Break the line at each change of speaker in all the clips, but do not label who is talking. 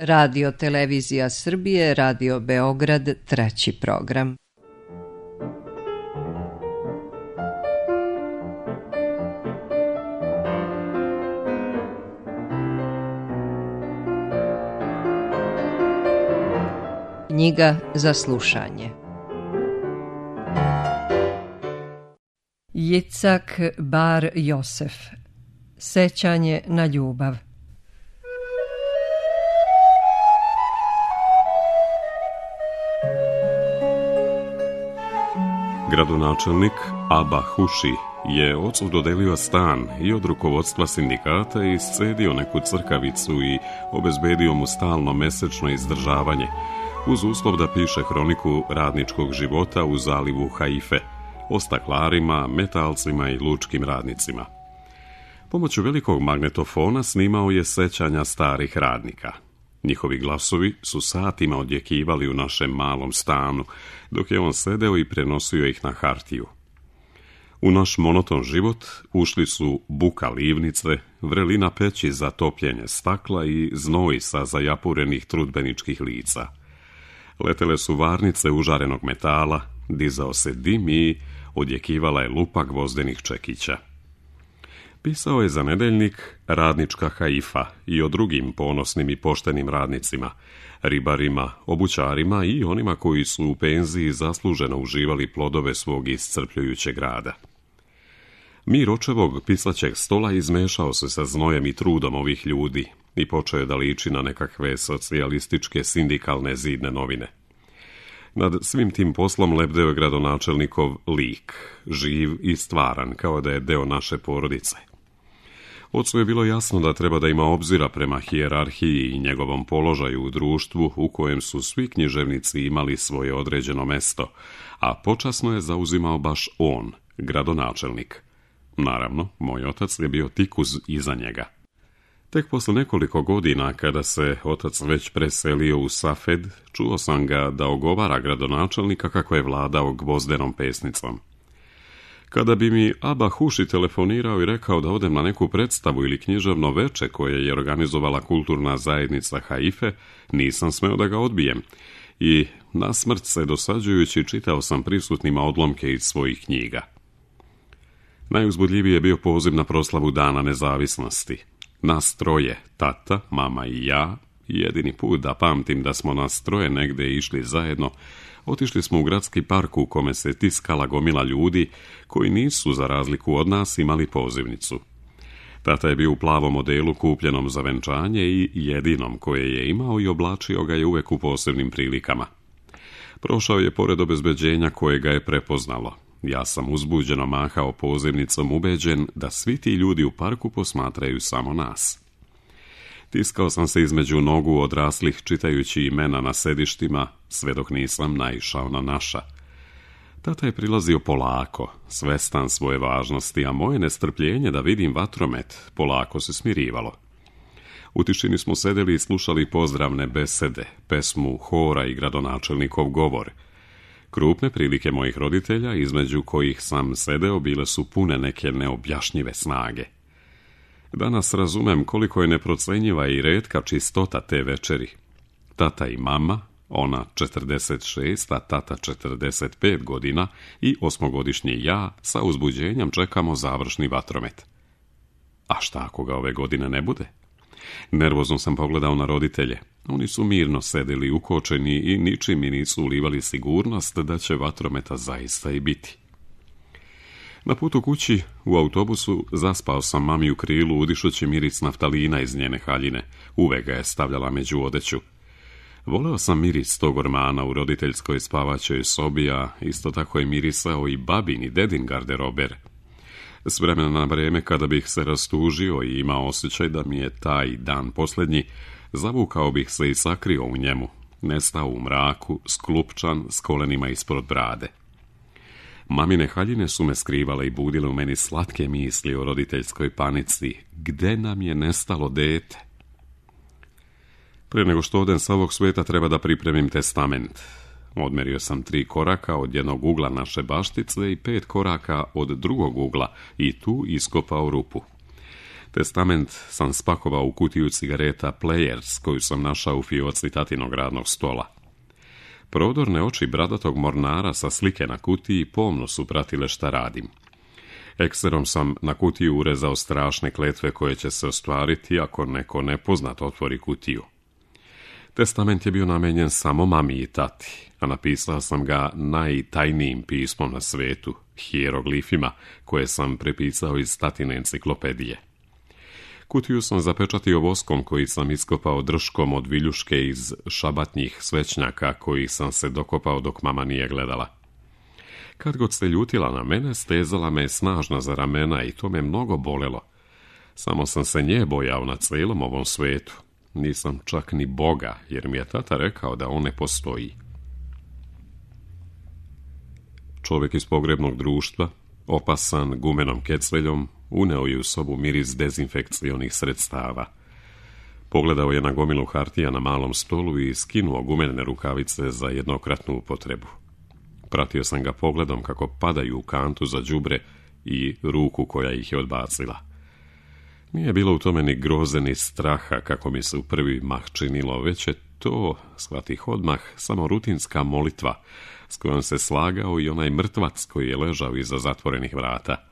Radio Televizija Srbije, Radio Beograd, treći program. Knjiga za slušanje. Jicak Bar Josef. Sećanje na ljubav.
Gradonačelnik Aba Huši je ocu dodelio stan i od rukovodstva sindikata iscedio neku crkavicu i obezbedio mu stalno mesečno izdržavanje, uz uslov da piše hroniku radničkog života u zalivu Haife, o staklarima, metalcima i lučkim radnicima. Pomoću velikog magnetofona snimao je sećanja starih radnika. Njihovi glasovi su satima odjekivali u našem malom stanu, dok je on sedeo i prenosio ih na hartiju. U naš monoton život ušli su buka livnice, vrelina peći za topljenje stakla i znoj sa zajapurenih trudbeničkih lica. Letele su varnice užarenog metala, dizao se dim i odjekivala je lupa gvozdenih čekića. Pisao je za nedeljnik Radnička Haifa i o drugim ponosnim i poštenim radnicima, ribarima, obućarima i onima koji su u penziji zasluženo uživali plodove svog iscrpljujućeg rada. Mir očevog pisaćeg stola izmešao se sa znojem i trudom ovih ljudi i počeo je da liči na nekakve socijalističke sindikalne zidne novine. Nad svim tim poslom lebdeo je gradonačelnikov lik, živ i stvaran, kao da je deo naše porodice. Ocu je bilo jasno da treba da ima obzira prema hijerarhiji i njegovom položaju u društvu u kojem su svi književnici imali svoje određeno mesto, a počasno je zauzimao baš on, gradonačelnik. Naravno, moj otac je bio tik iza njega. Tek posle nekoliko godina, kada se otac već preselio u Safed, čuo sam ga da ogovara gradonačelnika kako je vladao gvozdenom pesnicom. Kada bi mi Aba Huši telefonirao i rekao da odem na neku predstavu ili književno veče koje je organizovala kulturna zajednica Haife, nisam smeo da ga odbijem i nasmrt se dosađujući čitao sam prisutnima odlomke iz svojih knjiga. Najuzbudljiviji je bio poziv na proslavu Dana nezavisnosti. Nas troje, tata, mama i ja, jedini put da pamtim da smo nas troje negde išli zajedno, otišli smo u gradski park u kome se tiskala gomila ljudi koji nisu, za razliku od nas, imali pozivnicu. Tata je bio u plavom odelu kupljenom za venčanje i jedinom koje je imao i oblačio ga je uvek u posebnim prilikama. Prošao je pored obezbeđenja koje ga je prepoznalo. Ja sam uzbuđeno mahao pozivnicom, ubeđen da svi ti ljudi u parku posmatraju samo nas. Tiskao sam se između nogu odraslih čitajući imena na sedištima, sve dok nisam naišao na naša. Tata je prilazio polako, svestan svoje važnosti, a moje nestrpljenje da vidim vatromet polako se smirivalo. U tišini smo sedeli i slušali pozdravne besede, pesmu hora i gradonačelnikov govor. Krupne prilike mojih roditelja, između kojih sam sedeo, bile su pune neke neobjašnjive snage. Danas razumem koliko je neprocenjiva i retka čistota te večeri. Tata i mama, ona 46, a tata 45 godina i 8-godišnji ja, sa uzbuđenjem čekamo završni vatromet. A šta ako ga ove godine ne bude? Nervozno sam pogledao na roditelje. Oni su mirno sedeli ukočeni i ničim mi nisu ulivali sigurnost da će vatrometa zaista i biti. Na putu kući, u autobusu, zaspao sam mami u krilu udišući miris naftalina iz njene haljine. Uvek ga je stavljala među odeću. Voleo sam miris tog ormana u roditeljskoj spavaćoj sobi, a isto tako je mirisao i babin i dedin garderober. S vremena na vreme, kada bih se rastužio i imao osjećaj da mi je taj dan posljednji, zavukao bih se i sakrio u njemu, nestao u mraku, sklupčan, s kolenima ispod brade. Mamine haljine su me skrivale i budile u meni slatke misli o roditeljskoj panici. Gde nam je nestalo dete? Prije nego što odem sa ovog sveta treba da pripremim testament. Odmerio sam 3 koraka od jednog ugla naše baštice i 5 koraka od drugog ugla i tu iskopao rupu. Testament sam spakovao u kutiju cigareta Players, koju sam našao u fioci tatinog radnog stola. Prodorne oči bradatog mornara sa slike na kutiji pomno su pratile šta radim. Ekserom sam na kutiju urezao strašne kletve koje će se ostvariti ako neko nepoznat otvori kutiju. Testament je bio namenjen samo mami i tati, a napisao sam ga najtajnijim pismom na svetu, hijeroglifima, koje sam prepisao iz tatine enciklopedije. Kutiju sam zapečatio voskom koji sam iskopao drškom od viljuške iz šabatnjih svećnjaka kojih sam se dokopao dok mama nije gledala. Kad god se ljutila na mene, stezala me snažno za ramena i to me mnogo bolelo. Samo sam se nje bojao na cijelom ovom svetu. Nisam čak ni Boga, jer mi je tata rekao da on ne postoji. Čovjek iz pogrebnog društva, opasan gumenom kecveljom, uneo je u sobu miris dezinfekcionih sredstava. Pogledao je na gomilu hartija na malom stolu i skinuo gumene rukavice za jednokratnu upotrebu. Pratio sam ga pogledom kako padaju u kantu za đubre i ruku koja ih je odbacila. Nije bilo u tome ni groze ni straha kako mi se u prvi mah činilo, već je to, shvatih odmah, samo rutinska molitva s kojom se slagao i onaj mrtvac koji je ležao iza zatvorenih vrata.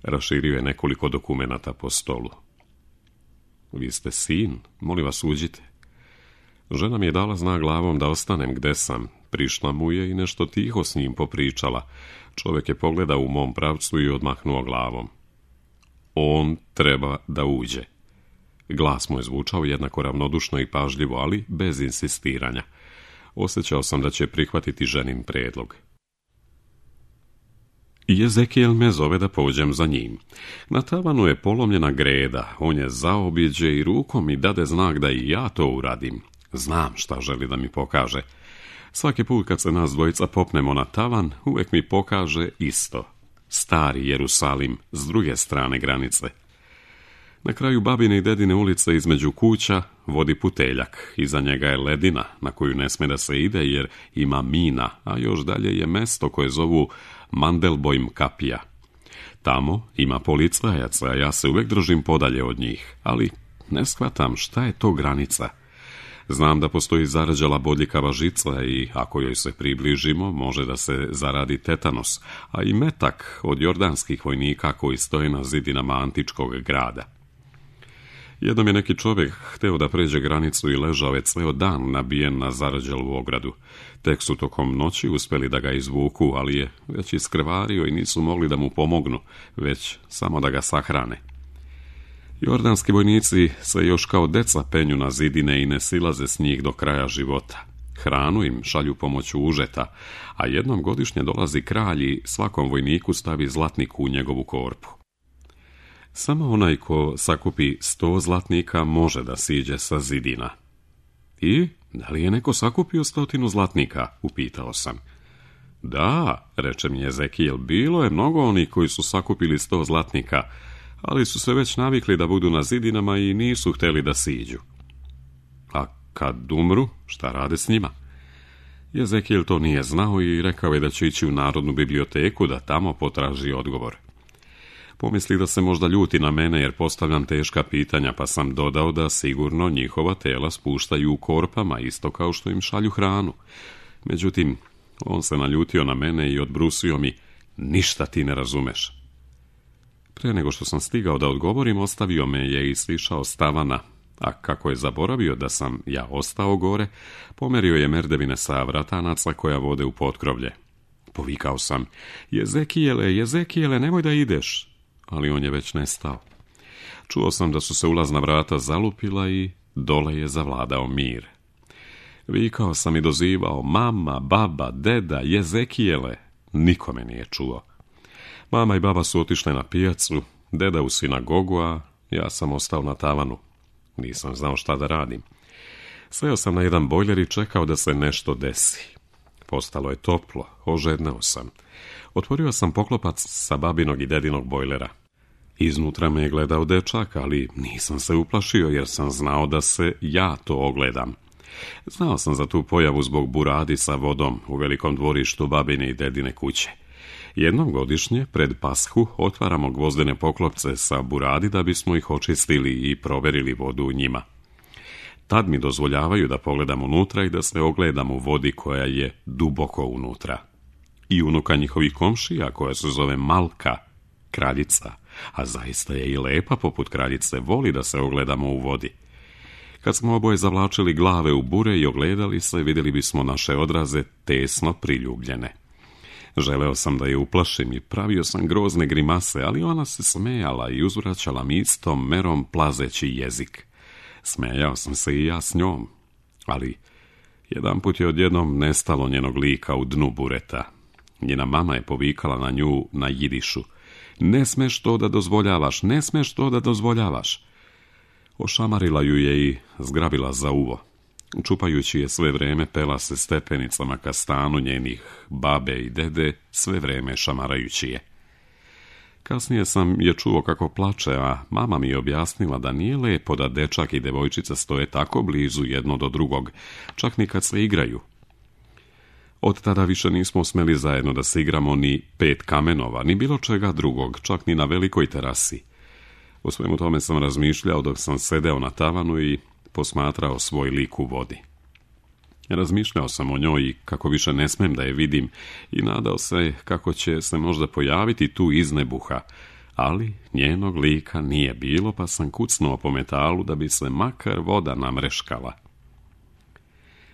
Raširio je nekoliko dokumenata po stolu. Vi ste sin, molim vas uđite. Žena mi je dala znak glavom da ostanem gde sam. Prišla mu je i nešto tiho s njim popričala. Čovjek je pogledao u mom pravcu i odmahnuo glavom. On treba da uđe. Glas mu je zvučao jednako ravnodušno i pažljivo, ali bez insistiranja. Osjećao sam da će prihvatiti ženin predlog. I Ezekijel me zove da pođem za njim. Na tavanu je polomljena greda, on je zaobiđe i rukom mi dade znak da i ja to uradim. Znam šta želi da mi pokaže. Svaki put kad se nas dvojica popnemo na tavan, uvijek mi pokaže isto. Stari Jerusalim, s druge strane granice. Na kraju babine i dedine ulice između kuća vodi puteljak. Iza njega je ledina na koju ne sme da se ide jer ima mina, a još dalje je mesto koje zovu Mandelbojm kapija. Tamo ima policajaca, a ja se uvijek držim podalje od njih, ali ne shvatam šta je to granica. Znam da postoji zarađala bodljikava žica i ako joj se približimo, može da se zaradi tetanos, a i metak od jordanskih vojnika koji stoje na zidinama antičkog grada. Jednom je neki čovjek hteo da pređe granicu i ležao je ceo dan nabijen na zarađalu ogradu. Tek su tokom noći uspeli da ga izvuku, ali je već iskrvario i nisu mogli da mu pomognu, već samo da ga sahrane. Jordanski vojnici se još kao deca penju na zidine i ne silaze s njih do kraja života. Hranu im šalju pomoću užeta, a jednom godišnje dolazi kralj i svakom vojniku stavi zlatnik u njegovu korpu. Samo onaj ko sakupi 100 zlatnika može da siđe sa zidina. I, da li je neko sakupio 100 zlatnika? Upitao sam. Da, reče mi Ezekijel, bilo je mnogo onih koji su sakupili 100 zlatnika, ali su se već navikli da budu na zidinama i nisu htjeli da siđu. A kad umru, šta rade s njima? Ezekijel to nije znao i rekao je da će ići u Narodnu biblioteku da tamo potraži odgovor. Pomisli da se možda ljuti na mene jer postavljam teška pitanja, pa sam dodao da sigurno njihova tela spuštaju u korpama, isto kao što im šalju hranu. Međutim, on se naljutio na mene i odbrusio mi, ništa ti ne razumeš. Pre nego što sam stigao da odgovorim, ostavio me je i sišao s tavana, a kako je zaboravio da sam ja ostao gore, pomerio je merdevine sa vratanaca koja vode u potkrovlje. Povikao sam, Ezekijele, nemoj da ideš, ali on je već nestao. Čuo sam da su se ulazna vrata zalupila i dole je zavladao mir. Vikao sam i dozivao, mama, baba, deda, Ezekijele, niko me nije čuo. Mama i baba su otišle na pijacu, deda u sinagogu, a ja sam ostao na tavanu. Nisam znao šta da radim. Seo sam na jedan bojler i čekao da se nešto desi. Postalo je toplo, ožedneo sam. Otvorio sam poklopac sa babinog i dedinog bojlera. Iznutra me je gledao dečak, ali nisam se uplašio jer sam znao da se ja to ogledam. Znao sam za tu pojavu zbog buradi sa vodom u velikom dvorištu babine i dedine kuće. Jednom godišnje, pred Pashu, otvaramo gvozdene poklopce sa buradi da bismo ih očistili i proverili vodu u njima. Tad mi dozvoljavaju da pogledam unutra i da se ogledam u vodi koja je duboko unutra. I unuka njihovih komšija, koja se zove Malka, kraljica, a zaista je i lepa poput kraljice, voli da se ogledamo u vodi. Kad smo oboje zavlačili glave u bure i ogledali se, vidjeli bismo naše odraze tesno priljubljene. Želeo sam da je uplašim i pravio sam grozne grimase, ali ona se smejala i uzvraćala mi istom merom plazeći jezik. Smejao sam se i ja s njom, ali jedanput je odjednom nestalo njenog lika u dnu bureta. Njena mama je povikala na nju na jidišu. Ne smeš to da dozvoljavaš, ne smeš to da dozvoljavaš. Ošamarila ju je i zgrabila za uvo. Čupajući je sve vreme, pela se stepenicama ka stanu njenih babe i dede, sve vreme šamarajući je. Kasnije sam je čuo kako plače, a mama mi je objasnila da nije lepo da dečak i devojčica stoje tako blizu jedno do drugog, čak ni kad se igraju. Od tada više nismo smeli zajedno da se igramo ni 5 kamenova, ni bilo čega drugog, čak ni na velikoj terasi. O svemu tome sam razmišljao dok sam sedeo na tavanu i posmatrao svoj lik u vodi. Razmišljao sam o njoj i kako više ne smem da je vidim i nadao se kako će se možda pojaviti tu iz nebuha, ali njenog lika nije bilo, pa sam kucnuo po metalu da bi se makar voda namreškala.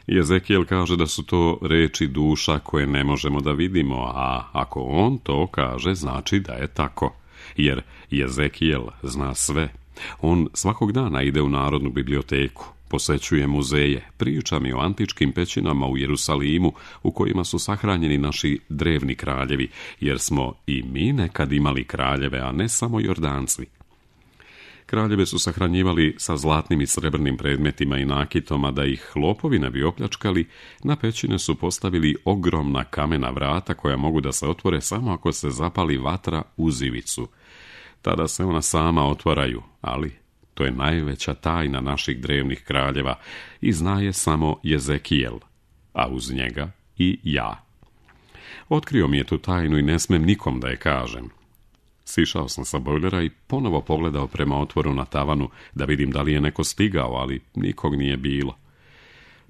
Jezekijel kaže da su to reči duša koje ne možemo da vidimo, a ako on to kaže, znači da je tako, jer Jezekijel zna sve. On svakog dana ide u Narodnu biblioteku, posećuje muzeje, priča mi o antičkim pećinama u Jerusalimu u kojima su sahranjeni naši drevni kraljevi, jer smo i mi nekad imali kraljeve, a ne samo Jordanci. Kraljeve su sahranjivali sa zlatnim i srebrnim predmetima i nakitom, a da ih lopovi ne bi opljačkali, na pećine su postavili ogromna kamena vrata koja mogu da se otvore samo ako se zapali vatra uz ivicu. Tada se ona sama otvaraju, ali to je najveća tajna naših drevnih kraljeva i zna je samo Jezekijel, a uz njega i ja. Otkrio mi je tu tajnu i ne smem nikom da je kažem. Sišao sam sa bojlera i ponovo pogledao prema otvoru na tavanu da vidim da li je neko stigao, ali nikog nije bilo.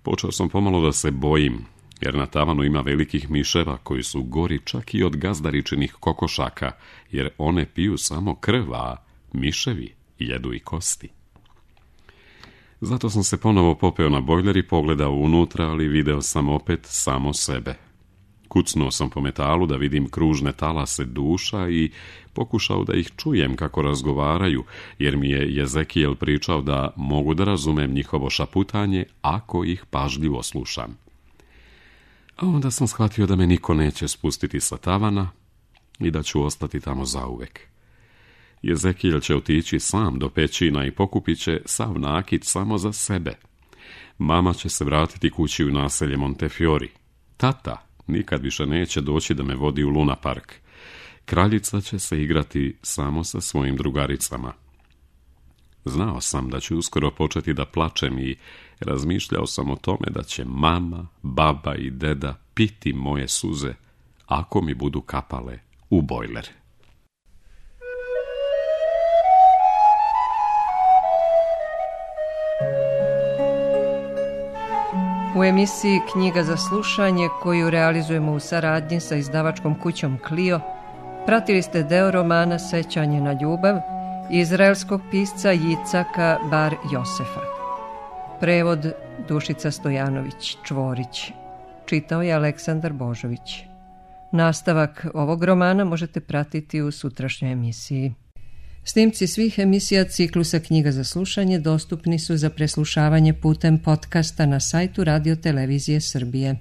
Počeo sam pomalo da se bojim, jer na tavanu ima velikih miševa koji su gori čak i od gazdaričinih kokošaka, jer one piju samo krv, a miševi jedu i kosti. Zato sam se ponovo popeo na bojler i pogledao unutra, ali video sam opet samo sebe. Kucnuo sam po metalu da vidim kružne talase duša i pokušao da ih čujem kako razgovaraju, jer mi je Jezekijel pričao da mogu da razumem njihovo šaputanje ako ih pažljivo slušam. A onda sam shvatio da me niko neće spustiti sa tavana i da ću ostati tamo zauvek. Jezekijel će otići sam do pećina i pokupit će sav nakit samo za sebe. Mama će se vratiti kući u naselje Montefiori. Tata nikad više neće doći da me vodi u Luna Park. Kraljica će se igrati samo sa svojim drugaricama. Znao sam da ću uskoro početi da plačem i razmišljao sam o tome da će mama, baba i deda piti moje suze ako mi budu kapale u bojler.
U emisiji Knjiga za slušanje, koju realizujemo u saradnji sa izdavačkom kućom Clio, pratili ste deo romana Sećanje na ljubav izraelskog pisca Jicaka Bar Josefa. Prevod Dušica Stojanović Čvorić. Čitao je Aleksandar Božović. Nastavak ovog romana možete pratiti u sutrašnjoj emisiji. Snimci svih emisija ciklusa Knjiga za slušanje dostupni su za preslušavanje putem podcasta na sajtu Radio Televizije Srbije.